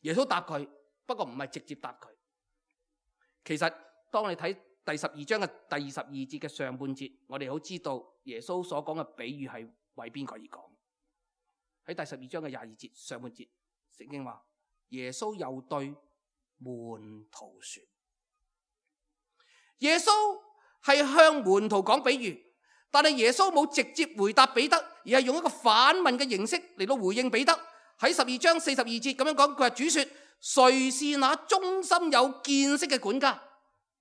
耶穌答佢，不過唔係直接答佢。其實當你睇第十二章嘅第二十二節嘅上半節，我哋好知道耶穌所講嘅比喻係為邊個而講。喺第十二章嘅廿二節上半節，聖經話耶穌又對門徒說，耶穌係向門徒講比喻，但係耶穌冇直接回答彼得，而係用一個反問嘅形式嚟到回應彼得。喺十二章四十二節咁樣講，佢話主說，誰是那忠心有見識嘅管家？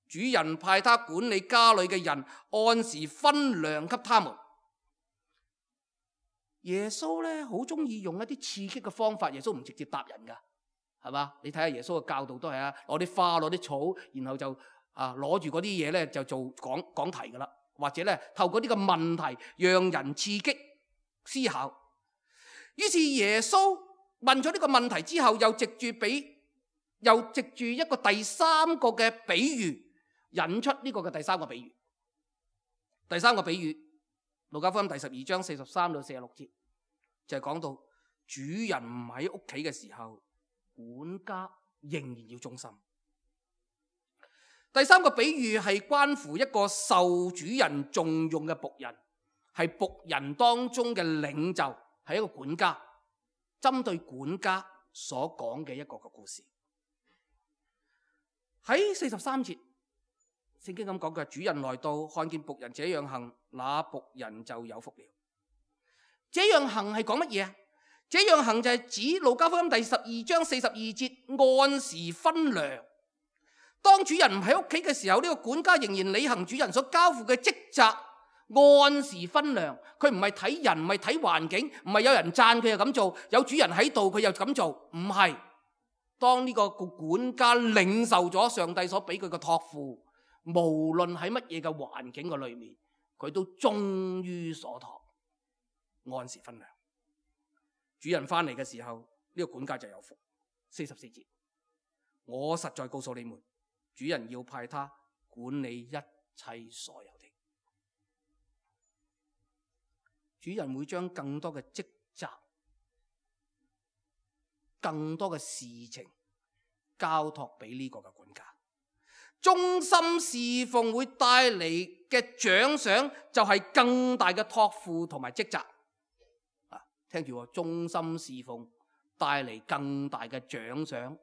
主人派他管理家裏嘅人，按時分糧給他們。耶穌咧好中意用一啲刺激嘅方法，耶穌唔直接答人噶，係嘛？你睇下耶穌嘅教導都係啊，攞啲花，攞啲草，然後就啊攞住嗰啲嘢咧就做講講題噶啦，或者咧透過呢個問題讓人刺激思考。於是耶穌問咗呢個問題之後，又藉住比，又藉住一個第三個嘅比喻。引出呢個嘅第三個比喻，第三個比喻，路加福音第十二章四十三到四十六節，就係講到主人唔喺屋企嘅時候，管家仍然要忠心。第三個比喻係關乎一個受主人重用嘅僕人，係僕人當中嘅領袖，係一個管家，針對管家所講嘅一個個故事。喺四十三節，聖經咁講嘅，主人來到，看見僕人這樣行，那僕人就有福了。這樣行係講乜嘢啊？這樣行就係指路加福音第十二章四十二節，按時分糧。當主人唔喺屋企嘅時候，呢個管家仍然履行主人所交付嘅職責，按時分糧。佢唔係睇人，唔係睇環境，唔係有人讚佢又咁做，有主人喺度佢又咁做，唔係。當呢個管家領受咗上帝所俾佢嘅託付，無論喺乜嘢嘅環境嘅裏面，佢都忠於所託，按時分糧。主人翻嚟嘅時候，呢個管家就有福。四十四節，我實在告訴你們，主人要派他管理一切所有的。主人會將更多嘅職責、更多嘅事情交託俾呢個嘅管家。忠心侍奉會帶嚟嘅獎賞就係更大嘅託付同埋職責。啊，聽住喎，忠心侍奉帶嚟更大嘅獎賞，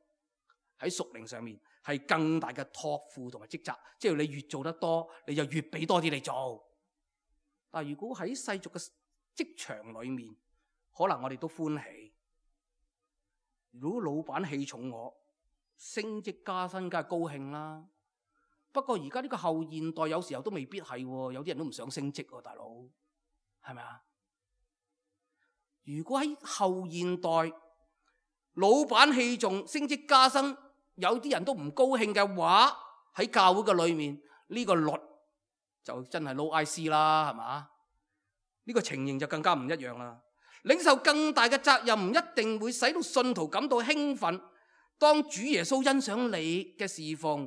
喺屬靈上面係更大嘅託付同埋職責。即係你越做得多，你就越俾多啲你做。但係如果喺世俗嘅職場裏面，可能我哋都歡喜。如果老闆器重我，升職加薪梗係高興啦。不過而家呢個後現代有時候都未必係，有啲人都唔想升職喎，大佬，係咪啊？如果喺後現代老闆器重升職加薪，有啲人都唔高興嘅話，喺教會嘅裏面呢個律就真係 low I C 啦，係嘛？呢個情形就更加唔一樣啦。領受更大嘅責任唔一定會使到信徒感到興奮。當主耶穌欣賞你嘅侍奉，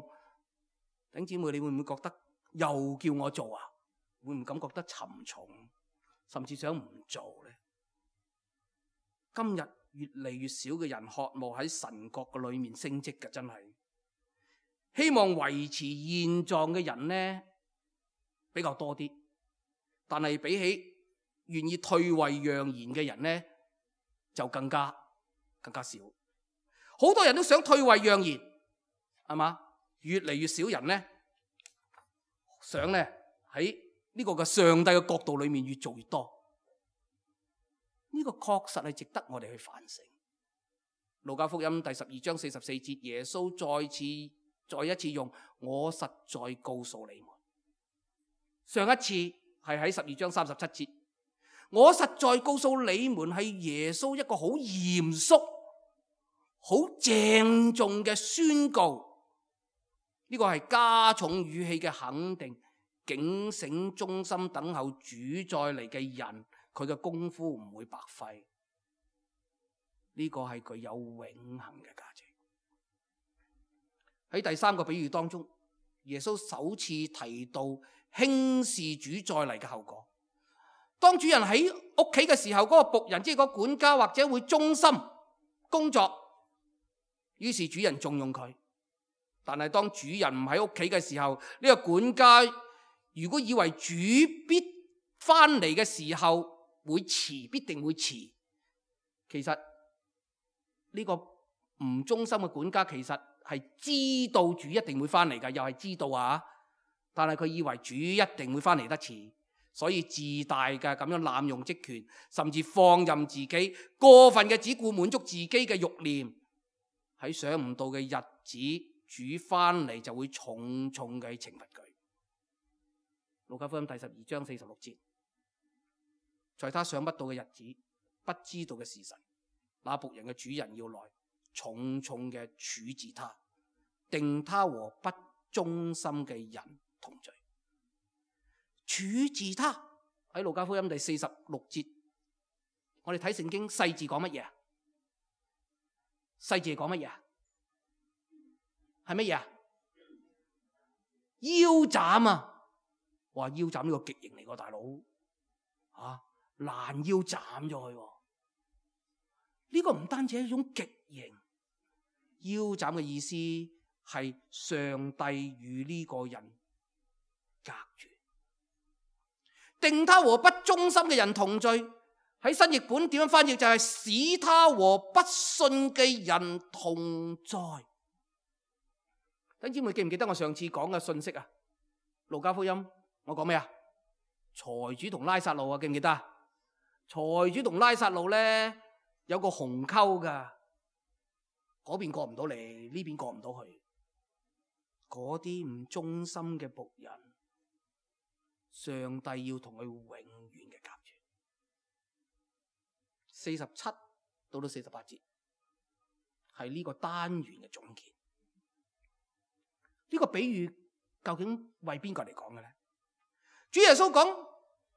弟兄姊妹，你會唔會覺得又叫我做啊？會唔會感覺得沉重，甚至想唔做呢？今日越嚟越少嘅人渴望喺神國嘅裏面升職嘅，真係希望維持現狀嘅人呢比較多啲，但係比起願意退位讓賢嘅人呢，就更加更加少。好多人都想退位讓賢，係嘛？越嚟越少人呢，想呢喺呢個嘅上帝嘅國度裏面越做越多。呢個確實係值得我哋去反省。路加福音第十二章四十四節，耶穌再次再一次用我實在告訴你們。上一次係喺十二章三十七節，我實在告訴你們係耶穌一個好嚴肅、好鄭重嘅宣告。呢個係加重語氣嘅肯定，警醒忠心等候主再嚟嘅人，佢嘅功夫唔會白費。呢個係具有永恆嘅價值。喺第三個比喻當中，耶穌首次提到輕視主再嚟嘅後果。當主人喺屋企嘅時候，嗰個僕人即係個管家或者會忠心工作，於是主人重用佢。但係當主人唔喺屋企嘅時候，呢個管家如果以為主必翻嚟嘅時候會遲，必定會遲。其實呢個唔忠心嘅管家其實係知道主一定會翻嚟㗎，又係知道啊，但係佢以為主一定會翻嚟得遲，所以自大嘅咁樣濫用職權，甚至放任自己過分嘅只顧滿足自己嘅慾念。喺想唔到嘅日子，主翻嚟就會重重嘅懲罰佢。路加福音第十二章四十六節，在他想不到嘅日子，不知道嘅時辰，那僕人嘅主人要來，重重嘅處置他，定他和不忠心嘅人同罪。處置他喺路加福音第四十六節，我哋睇聖經細字講乜嘢啊？細字講乜嘢啊？係乜嘢啊？腰斬啊！哇，腰斬呢個極刑嚟個大佬啊，攔腰斬咗佢。呢個唔單止係一種極刑，腰斬嘅意思係上帝與呢個人隔絕，定他和不忠心嘅人同罪。喺新譯本點樣翻譯就係使他和不信嘅人同在。弟兄姊妹記唔記得我上次講嘅信息啊？路加福音我講咩啊？財主同拉撒路啊，記唔記得啊？財主同拉撒路咧有個鴻溝噶，嗰邊過唔到嚟，呢邊過唔到去。嗰啲唔忠心嘅僕人，上帝要同佢永遠嘅隔絕。四十七到到四十八節係呢個單元嘅總結。呢個比喻究竟為邊個嚟講嘅咧？主耶穌講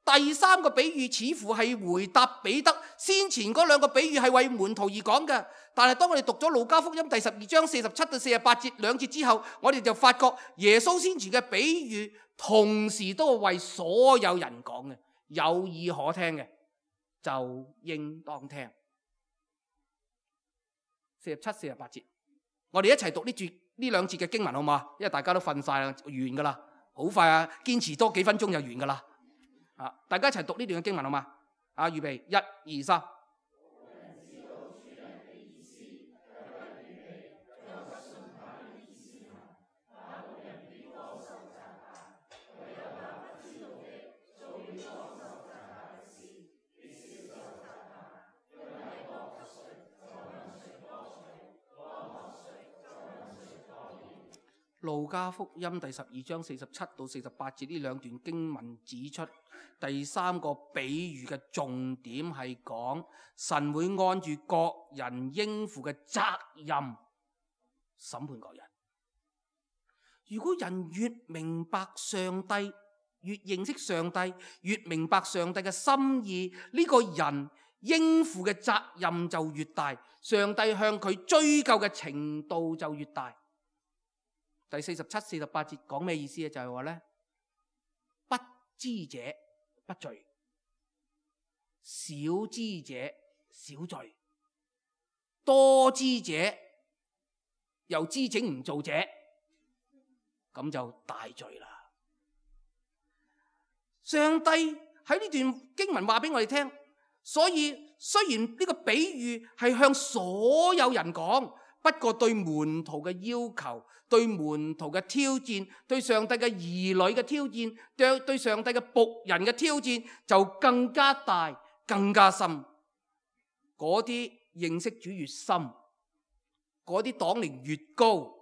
第三個比喻似乎係回答彼得，先前嗰兩個比喻係為門徒而講嘅。但係當我哋讀咗路加福音第十二章四十七到四十八節兩節之後，我哋就發覺耶穌先前嘅比喻同時都係為所有人講嘅，有耳可聽嘅就應當聽。四十七、四十八節，我哋一齊讀呢節呢兩節嘅經文好嘛？因為大家都瞓晒啦，完噶啦，好快啊！堅持多幾分鐘就完噶啦。啊，大家一齊讀呢段嘅經文好嘛？啊，預備，一、二、三。路加福音第十二章四十七到四十八節呢兩段經文指出，第三個比喻嘅重點係講神會按住各人應負嘅責任審判各人。如果人越明白上帝，越認識上帝，越明白上帝嘅心意，呢個人應負嘅責任就越大，上帝向佢追究嘅程度就越大。第四十七、四十八節講咩意思啊？就係話咧，不知者不罪，少知者少罪，多知者又知整唔做者，咁就大罪啦。上帝喺呢段經文話俾我哋聽，所以雖然呢個比喻係向所有人講，不過對門徒嘅要求，對門徒嘅挑戰，對上帝嘅兒女嘅挑戰，對對上帝嘅僕人嘅挑戰就更加大，更加深。嗰啲認識主越深，嗰啲黨齡越高，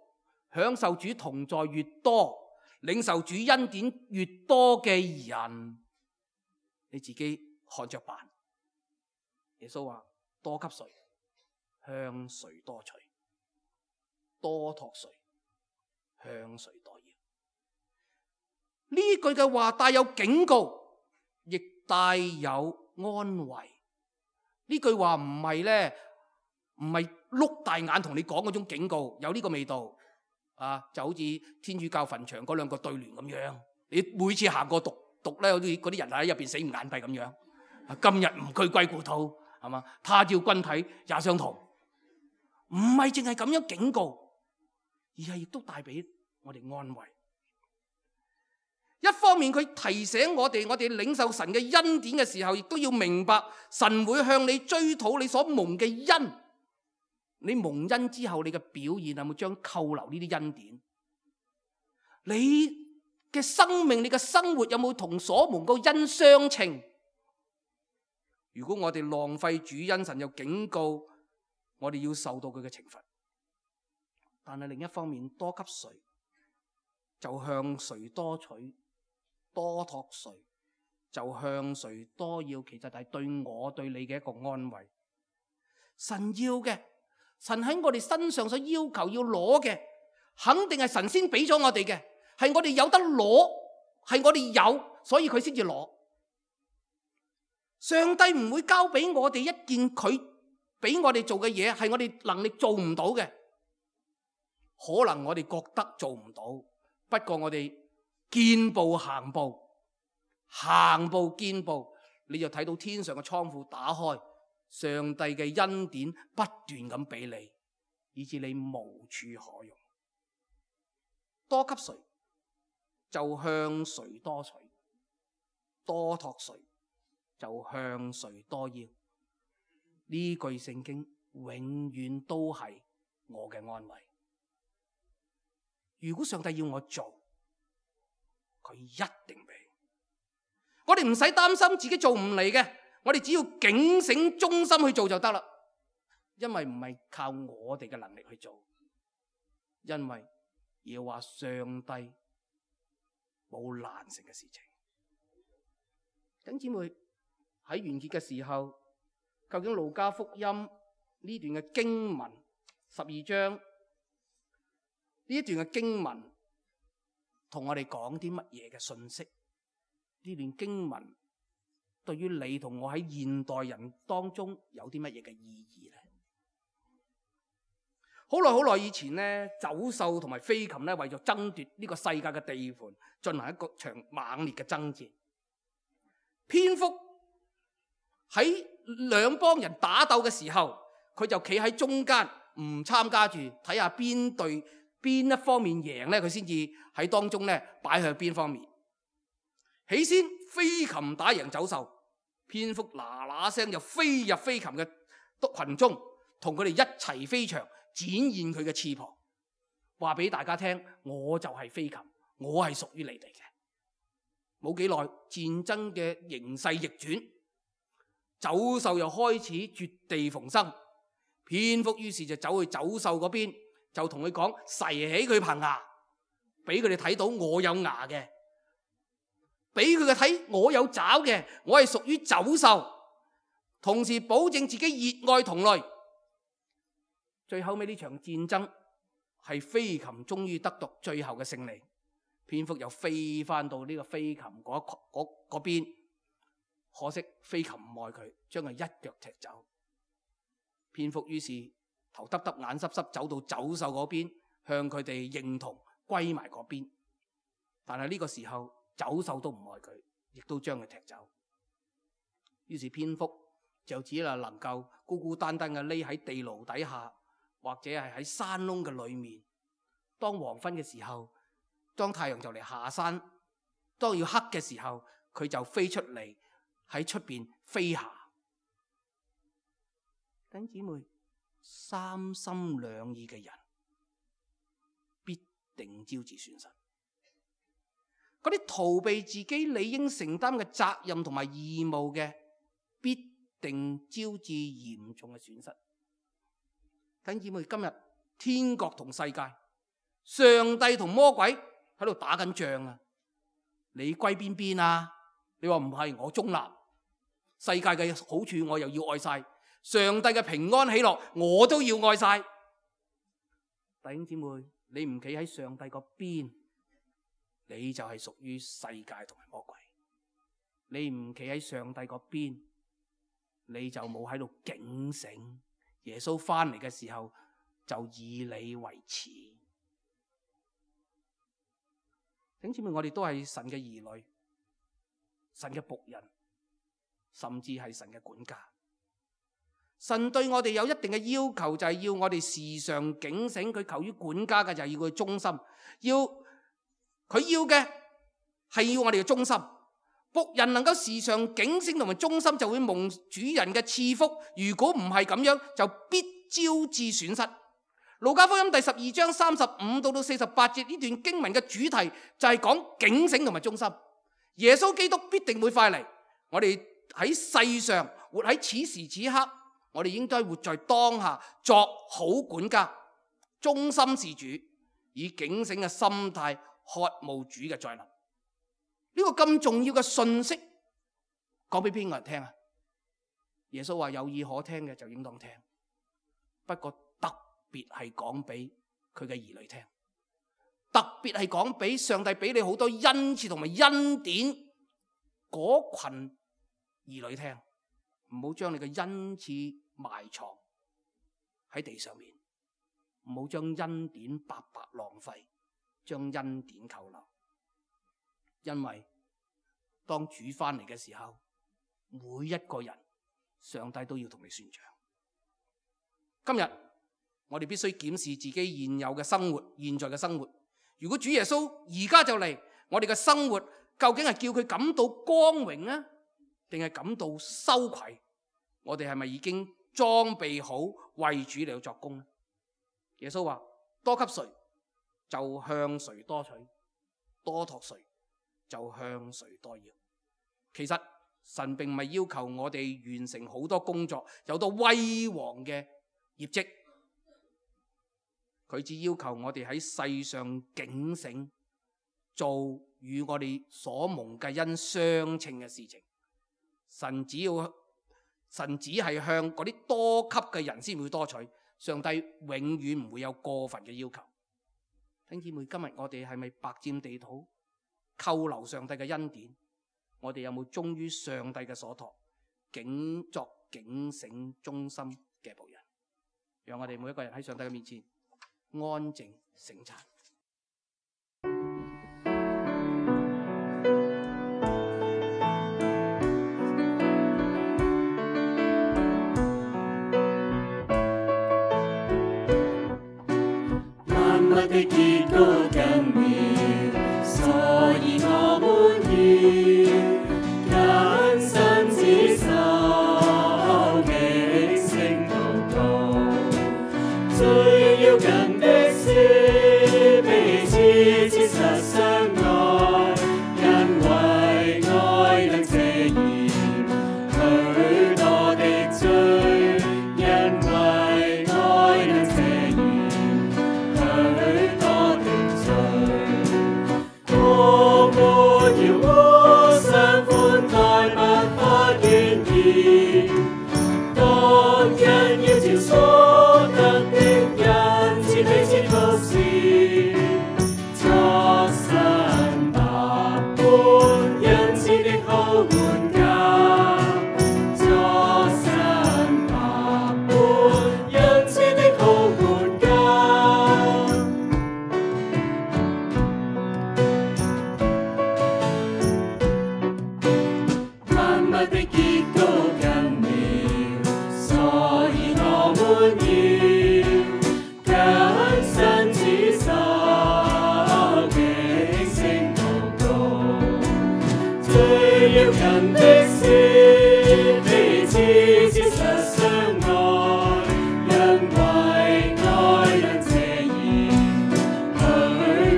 享受主同在越多，領受主恩典越多嘅人，你自己看着辦。耶穌話：多給誰，向誰多取；多託誰，向誰多要。呢句嘅話帶有警告，亦帶有安慰。呢句話唔係咧，唔係碌大眼同你講嗰種警告，有呢個味道啊，就好似天主教墳場嗰兩個對聯咁樣。你每次行過讀讀咧，好似嗰啲人喺入邊死唔眼閉咁樣。今日唔居歸故土，係嘛？他朝君體也相同。唔係淨係咁樣警告，而係亦都帶俾我哋安慰。一方面佢提醒我哋，我哋領受神嘅恩典嘅時候，亦都要明白神會向你追討你所蒙嘅恩。你蒙恩之後，你嘅表現有冇將扣留呢啲恩典？你嘅生命、你嘅生活有冇同所蒙嘅恩相稱？如果我哋浪費主恩，神又警告我哋要受到佢嘅懲罰。但係另一方面，多給誰就向誰多取，多託誰就向誰多要。其實係對我對你嘅一個安慰。神要嘅，神喺我哋身上所要求要攞嘅，肯定係神先俾咗我哋嘅，係我哋有得攞，係我哋有，所以佢先至攞。上帝唔會交俾我哋一件佢俾我哋做嘅嘢，係我哋能力做唔到嘅。可能我哋覺得做唔到，不過我哋見步行步，行步見步，你就睇到天上嘅倉庫打開，上帝嘅恩典不斷咁俾你，以致你無處可用。多給誰，就向誰多取；多託誰，就向誰多要。呢句聖經永遠都係我嘅安慰。如果上帝要我做，佢一定俾。我哋唔使擔心自己做唔嚟嘅，我哋只要警醒忠心去做就得啦。因為唔係靠我哋嘅能力去做，因為要話上帝冇難成嘅事情。弟兄姊妹，喺完結嘅時候，究竟路加福音呢段嘅經文十二章呢一段嘅經文同我哋講啲乜嘢嘅信息？呢段經文對於你同我喺現代人當中有啲乜嘢嘅意義呢？好耐好耐以前呢，走獸同埋飛禽呢，為咗爭奪呢個世界嘅地盤，進行一個場猛烈嘅爭戰。蝙蝠喺兩幫人打鬥嘅時候，佢就企喺中間，唔參加住，睇下邊隊邊一方面贏呢，佢先至喺當中呢擺向邊方面。起先飛禽打贏走獸，蝙蝠嗱嗱聲就飛入飛禽嘅群中，同佢哋一齊飛翔，展現佢嘅翅膀，話俾大家聽，我就係飛禽，我係屬於你哋嘅。冇幾耐，戰爭嘅形勢逆轉，走獸又開始絕地逢生。蝙蝠於是就走去走獸嗰邊，就同佢講，噬起佢棚牙，俾佢哋睇到我有牙嘅，俾佢哋睇我有爪嘅，我係屬於走獸，同時保證自己熱愛同類。最後尾呢場戰爭係飛禽終於得到最後嘅勝利，蝙蝠又飛翻到呢個飛禽嗰嗰嗰邊，可惜飛禽唔愛佢，將佢一腳踢走。蝙蝠於是頭耷耷眼濕濕走到走獸嗰邊，向佢哋認同歸埋嗰邊。但係呢個時候走獸都唔愛佢，亦都將佢踢走。於是蝙蝠就只係能夠孤孤單單嘅匿喺地牢底下，或者係喺山窿嘅裏面。當黃昏嘅時候，當太陽就嚟下山，當要黑嘅時候，佢就飛出嚟喺出邊飛下。弟兄姊妹，三心兩意嘅人必定招致損失。嗰啲逃避自己理應承擔嘅責任同埋義務嘅，必定招致嚴重嘅損失。弟兄姊妹，今日天國同世界，上帝同魔鬼喺度打緊仗啊！你歸邊邊啊？你話唔係，我中立。世界嘅好處我又要愛晒，上帝嘅平安喜樂我都要愛晒。弟兄姊妹，你唔企喺上帝個邊，你就係屬於世界同埋魔鬼；你唔企喺上帝個邊，你就冇喺度警醒。耶穌翻嚟嘅時候，就以你為恥。弟兄姊妹，我哋都係神嘅兒女，神嘅僕人，甚至係神嘅管家。神對我哋有一定嘅要求，就係要我哋時常警醒。佢求於管家嘅就係要佢忠心，要佢要嘅係要我哋嘅忠心。僕人能夠時常警醒同埋忠心，就會蒙主人嘅賜福。如果唔係咁樣，就必招致損失。路加福音第十二章三十五到到四十八節呢段經文嘅主題就係講警醒同埋忠心。耶穌基督必定會快嚟，我哋喺世上活喺此時此刻，我哋應該活在當下，作好管家，忠心事主，以警醒嘅心態渴慕主嘅再臨。呢個咁重要嘅信息講俾邊個人聽啊？耶穌話有耳可聽嘅就應當聽，不過特別係講俾佢嘅兒女聽，特別係講俾上帝俾你好多恩賜同埋恩典嗰群兒女聽，唔好將你嘅恩賜埋藏喺地上面，唔好將恩典白白浪費，將恩典扣留。因為當主翻嚟嘅時候，每一個人上帝都要同你算賬。今日我哋必須檢視自己現有嘅生活，現在嘅生活，如果主耶穌而家就嚟，我哋嘅生活究竟係叫佢感到光榮啊，定係感到羞愧？我哋係咪已經裝備好為主嚟到作工呢？耶穌話：多給誰，就向誰多取；多託誰，就向誰多要。其實神並唔係要求我哋完成好多工作，有多威煌嘅業績，佢只要求我哋喺世上警醒，做與我哋所蒙嘅恩相稱嘅事情。神只要神只係向嗰啲多給嘅人先會多取，上帝永遠唔會有過分嘅要求。弟兄姊妹，今日我哋係咪白佔地土，扣留上帝嘅恩典？我哋有冇忠於上帝嘅所託，警作警醒忠心嘅僕人？讓我哋每一個人喺上帝嘅面前安靜省察。萬物的結果近了，所以我們要謹慎持守，警醒禱告，最要緊的是彼此切實相愛，因為愛能遮掩許多的罪，因為愛能遮掩許多的罪。我們要互相寬待，不發怨言，各人要照所得的恩賜彼此服侍，作神百般恩賜的好管家，作神百般恩賜的好管家。萬物的結果近了，所以我們要謹慎持守，警醒禱告，最要緊的是彼此切實相愛，因為愛能遮掩許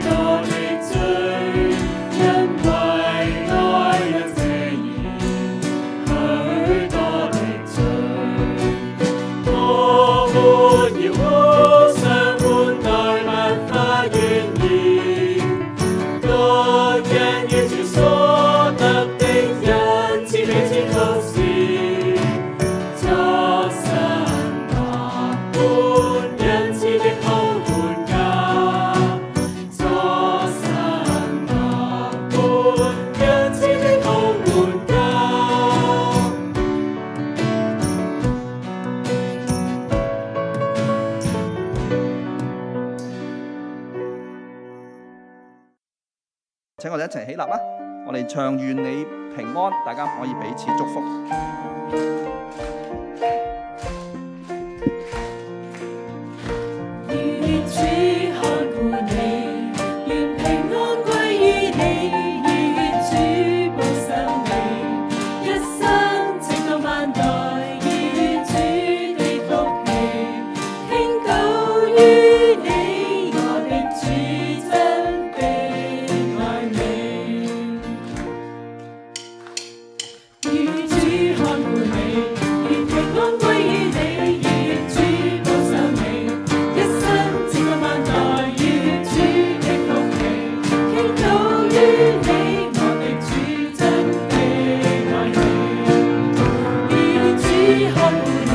多的罪，因為愛能遮掩許多的罪。我們要互相寬待，不發怨言，各人要照所得的恩賜彼此服侍，作神百般恩賜的好管家，作神百般恩賜的好管家。請我哋一齊起立啦！我哋唱願你平安，大家可以彼此祝福。願主看顧你，願平安歸於你，願主保守你，一生直到萬代，願主的福氣傾倒於你，我的主真的愛你。願主看顧你，願平安歸於你，願主保守你，一生直到萬代，願主的福氣傾倒於你，我的主真的愛你。願主看顧你，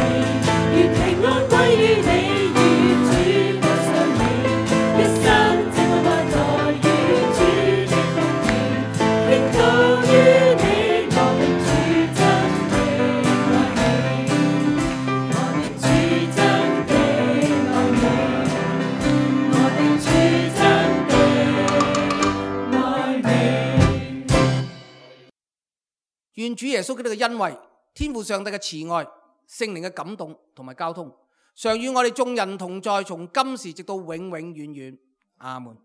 願平安歸於你，願主保守你，一生直到萬代，願主的福氣傾倒於你，我的主真的愛你。我的主真的愛你，我的主真的愛你。願主耶穌基督嘅恩惠、天父上帝嘅慈愛、聖靈嘅感動同埋交通，常與我哋眾人同在，從今時直到永永遠遠。阿門。